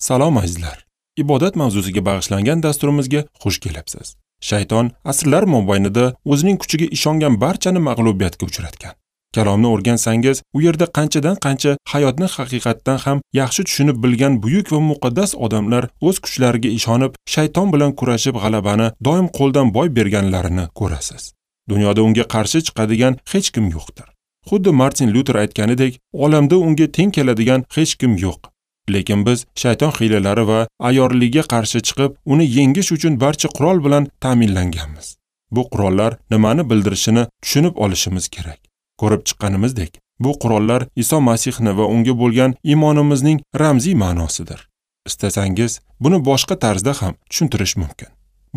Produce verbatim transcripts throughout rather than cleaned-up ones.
Salom azizlar. Ibodat mavzusiga bag'ishlangan dasturimizga xush kelibsiz. Shayton asrlar mobaynida o'zining kuchiga ishongan barchani mag'lubiyatga uchratgan. Kalomni o'rgansangiz, u yerda qanchadan qancha hayotni haqiqatdan ham yaxshi tushunib bilgan buyuk va muqaddas odamlar o'z kuchlariga ishonib, shayton bilan kurashib g'alabani doim qo'ldan boy berganlarini ko'rasiz. Dunyoda unga qarshi chiqadigan hech kim yo'qdir. Xuddi Martin Luther aytganidek, olamda unga teng keladigan hech kim yo'q. Lekin biz shayton hiylalari va ayyorligiga qarshi chiqib, uni yengish uchun barcha qurol bilan ta'minlanganmiz. Bu qurollar nimani bildirishini tushunib olishimiz kerak. Ko'rib chiqqanimizdek, bu qurollar Iso Masihni va unga bo'lgan iymonimizning ramziy ma'nosidir. Istasangiz, buni boshqa tarzda ham tushuntirish mumkin.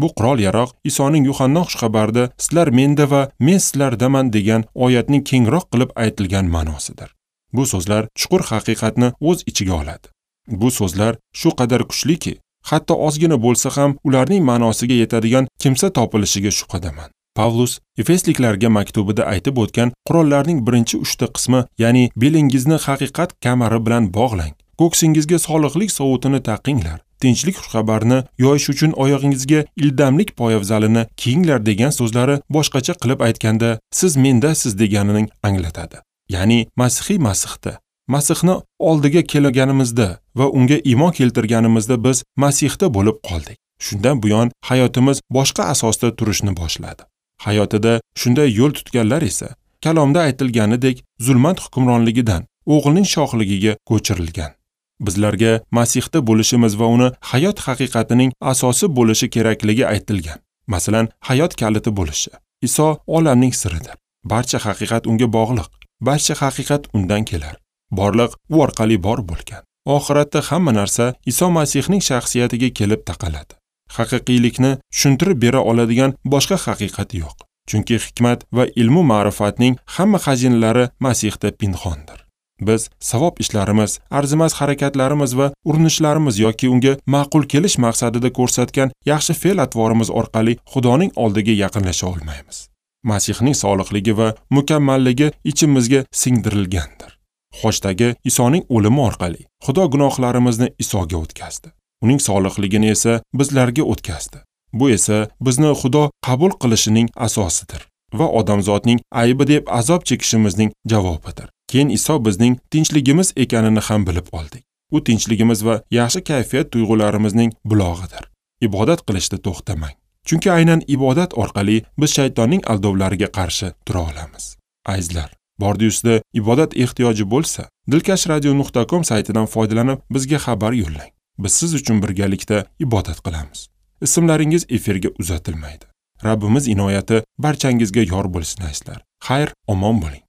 Bu qurol-yaroq Isoning Yuhanna xushxabarida sizlar menda va men sizlardaman degan oyatning kengroq qilib aytilgan ma'nosidir. Bu so'zlar chuqur haqiqatni o'z ichiga oladi. Bu so'zlar shu qadar kuchliki, hatto ozgina bo'lsa ham ularning ma'nosiga yetadigan kimsa topilishiga shubhadaman. Pavlus Efesliklarga maktubida aytib o'tgan qurollarning birinchi uchta qismi, ya'ni belingizni haqiqat kamari bilan bog'lang, ko'ksingizga soliqlik sovutini taqinglar, tinchlik xushxabarini yoyish uchun oyog'ingizga ildamlik poyafzalini kiyinglar degan so'zlari boshqacha qilib aytganda siz mendasiz deganining anglatadi. Ya'ni Masihiy Masihda, Masihni oldiga kelganimizda va unga iymon keltirganimizda biz Masihda bo'lib qoldik. Shundan buyon hayotimiz boshqa asosda turishni boshladi. Hayotida shunday yo'l tutganlar esa kalomda aytilganidek zulmat hukmronligidan o'g'ilning shohligiga ko'chirilgan. Bizlarga Masihda bo'lishimiz va uni hayot haqiqatining asosi bo'lishi kerakligi aytilgan. Masalan, hayot kaliti bo'lishi. Iso olamning siridir. Barcha haqiqat unga bog'liq. Barcha haqiqat undan kelar. Borliq u orqali bor bo'lgan. Oxiratda hamma narsa Iso Masihning shaxsiyatiga kelib taqaladi. Haqiqiylikni tushuntirib bera oladigan boshqa haqiqat yo'q. Chunki hikmat va ilmu ma'rifatning hamma xazinalari Masihda pinhondir. Biz savob ishlarimiz, arzimas harakatlarimiz va urinishlarimiz yoki unga ma'qul kelish maqsadida ko'rsatgan yaxshi fe'l-atvorimiz orqali Xudoning oldiga yaqinlasha olmaymiz. Masihning soliqligi va mukammalligi ichimizga singdirilgandir. Xochdagi Isoning o'limi orqali Xudo gunohlarimizni Isoga o'tkazdi. Uning soliqligini esa bizlarga o'tkazdi. Bu esa bizni Xudo qabul qilishining asosidir va odamzodning aybi deb azob chekishimizning javobidir. Keyin Iso bizning tinchligimiz ekanini ham bilib oldik. U tinchligimiz va yaxshi kayfiyat tuyg'ularimizning bulog'idir. Ibodat qilishda to'xtamang. Chunki aynan ibodat orqali biz shaytonning aldovlariga qarshi tura olamiz. Azizlar, bordi-ustida ibodat ehtiyoji bo'lsa, dilkash radio nuqta com saytidan foydalanib bizga xabar yo'llang. Biz siz uchun birgalikda ibodat qilamiz. Ismlaringiz efirga uzatilmaydi. Rabbimiz inoyati barchangizga yor bo'lsin azizlar. Xayr, omon bo'ling.